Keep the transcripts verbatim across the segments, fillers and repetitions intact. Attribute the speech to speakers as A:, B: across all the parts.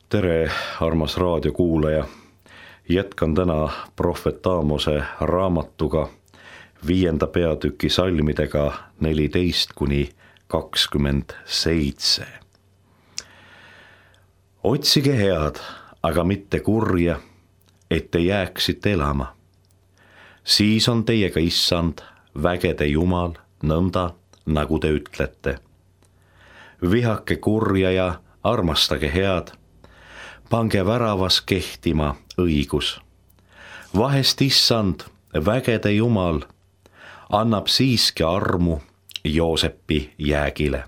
A: Tere, armas raadiokuulaja. Jätkan täna prohvet Aamose raamatuga viienda peatüki salmidega neliteist kuni kakskümmend seitse. Otsige head, aga mitte kurja, et te jääksite elama. Siis on teiega issand, vägede Jumal, nõnda, nagu te ütlete. Vihake kurja ja armastage head. Pange väravas kehtima õigus. Vahest issand, vägede Jumal, annab siiski armu Joosepi jäägile.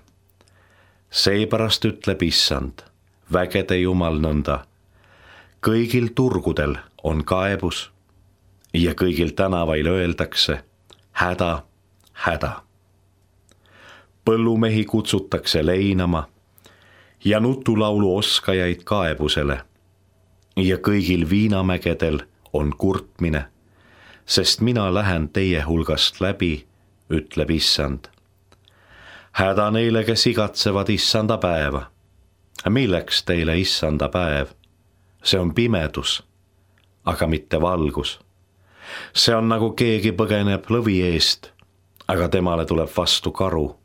A: Seepärast ütleb issand, vägede Jumal nõnda. Kõigil turgudel on kaebus ja kõigil tänavail öeldakse häda, häda. Põllumehi kutsutakse leinama ja nutulaulu oskajaid kaebusele ja kõigil viinamägedel on kurtmine, sest mina lähen teie hulgast läbi, ütleb issand. Häda neile, kes igatsevad issanda päeva. Milleks teile issanda päev? See on pimedus, aga mitte valgus. See on nagu keegi põgeneb lõvi eest, aga temale tuleb vastu karu.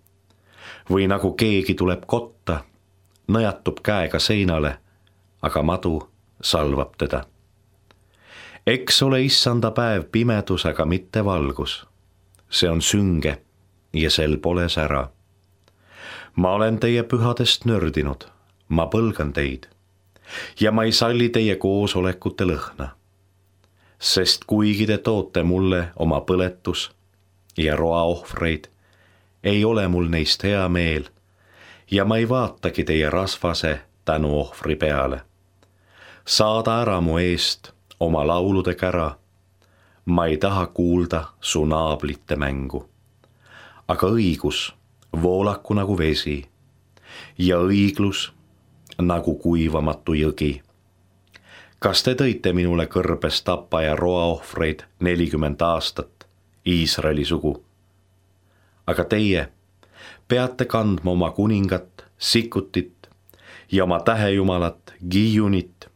A: Või nagu keegi tuleb kotta, nõjatub käega seinale, aga madu salvab teda. Eks ole issanda päev pimedus, aga mitte valgus. See on sünge ja sel pole sära. Ma olen teie pühadest nördinud, ma põlgan teid ja ma ei salli teie koosolekute lõhna. Sest kuigi te toote mulle oma põletus ja roaohvreid, ei ole mul neist hea meel ja ma ei vaatagi teie rasvase tänuohvri peale. Saada ära mu eest oma laulude kära. Ma ei taha kuulda su naablite mängu. Aga õigus voolaku nagu vesi ja õiglus nagu kuivamatu jõgi. Kas te tõite minule kõrbes tapa ja roaohvreid nelikümmend aastat Iisraeli sugu? Aga teie peate kandma oma kuningat, Sikutit ja oma tähejumalat, Gijunit,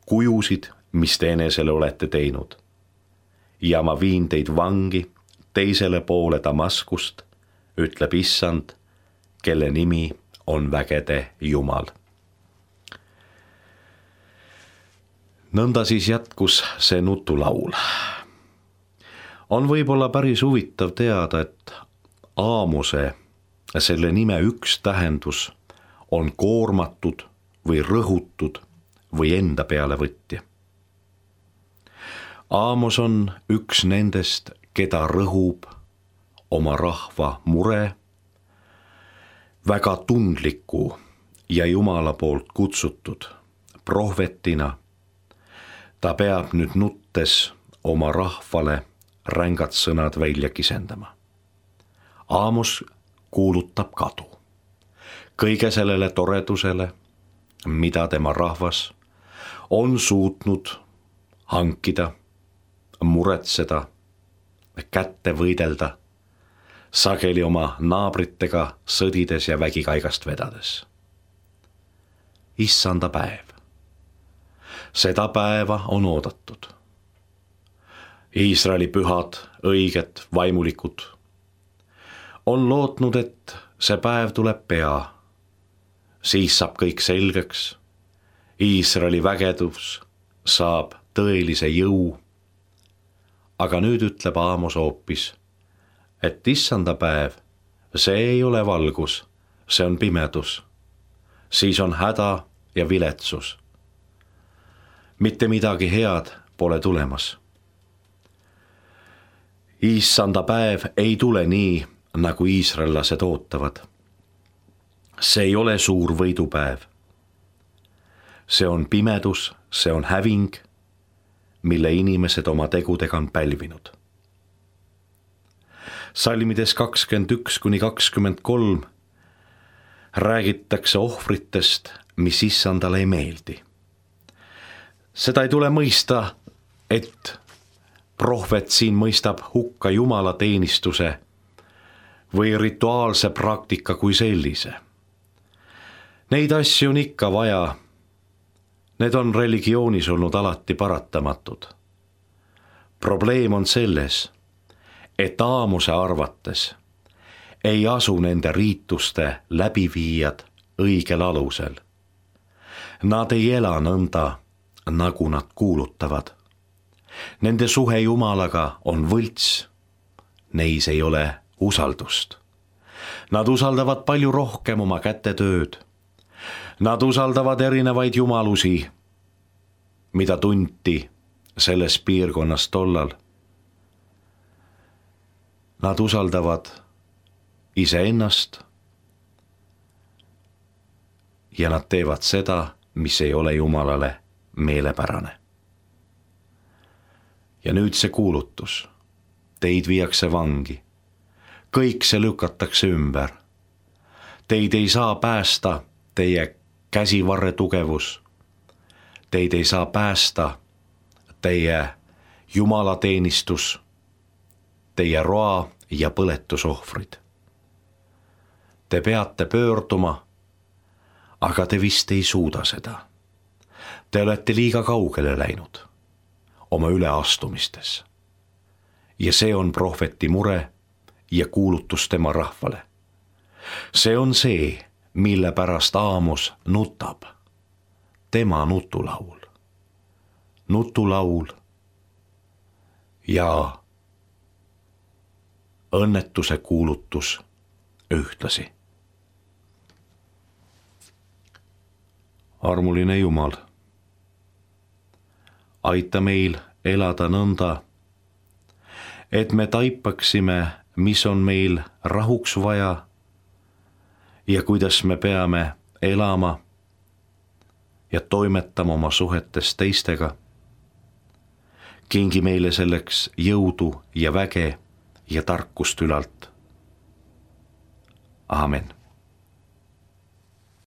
A: kujusid, mis te enesele olete teinud. Ja ma viin teid vangi teisele poole Damaskust, ütleb issand, kelle nimi on vägede Jumal. Nõnda siis jätkus see nutulaul. On võib-olla päris huvitav teada, et Aamose, selle nime üks tähendus on koormatud või rõhutud või enda peale võtja. Aamos on üks nendest, keda rõhub oma rahva mure, väga tundliku ja Jumala poolt kutsutud prohvetina. Ta peab nüüd nuttes oma rahvale rängad sõnad välja kisendama. Aamos kuulutab kadu kõige sellele toredusele, mida tema rahvas on suutnud hankida, muretseda, kätte võidelda, sageli oma naabritega sõdides ja vägikaigast vedades. Issanda päev. Seda päeva on oodatud. Iisraeli pühad, õiged, vaimulikud on lootnud, et see päev tuleb pea. Siis saab kõik selgeks. Iisraeli vägedus saab tõelise jõu. Aga nüüd ütleb Aamos hoopis, et issanda päev, see ei ole valgus, see on pimedus. Siis on häda ja viletsus. Mitte midagi head pole tulemas. Issanda päev ei tule nii, nagu iisraellased ootavad. See ei ole suur võidupäev. See on pimedus, see on häving, mille inimesed oma tegudega on pälvinud. Salmides kakskümmend üks kuni kakskümmend kolm räägitakse ohvritest, mis issandale ei meeldi. Seda ei tule mõista, et prohvet siin mõistab hukka Jumala teenistuse või rituaalse praktika kui sellise. Neid asju on ikka vaja, Need on religioonis olnud alati paratamatud. Probleem on selles, et Aamose arvates ei asu nende riituste läbiviijad õigel alusel. Nad ei ela nõnda, nagu nad kuulutavad. Nende suhe Jumalaga on võlts. Neis ei ole usaldust. Nad usaldavad palju rohkem oma kätetööd. Nad usaldavad erinevaid jumalusi, mida tunti selles piirkonnas tollal. Nad usaldavad iseennast ja nad teevad seda, mis ei ole Jumalale meelepärane. Ja nüüd see kuulutus. Teid viiakse vangi. Kõik see lükatakse ümber. Teid ei saa päästa teie käsivarre tugevus. Teid ei saa päästa teie jumalateenistus, teie roa ja põletusohvrid. Te peate pöörduma, aga te vist ei suuda seda. Te olete liiga kaugele läinud oma üleastumistes. Ja see on prohveti mure ja kuulutus tema rahvale. See on see, mille pärast Aamos nutab. Tema nutulaul. Nutulaul ja õnnetuse kuulutus ühtlasi. Armuline Jumal, aita meil elada nõnda, et me taipaksime, mis on meil rahuks vaja ja kuidas me peame elama ja toimetama oma suhetes teistega. Kingi meile selleks jõudu ja väge ja tarkust ülalt. Aamen.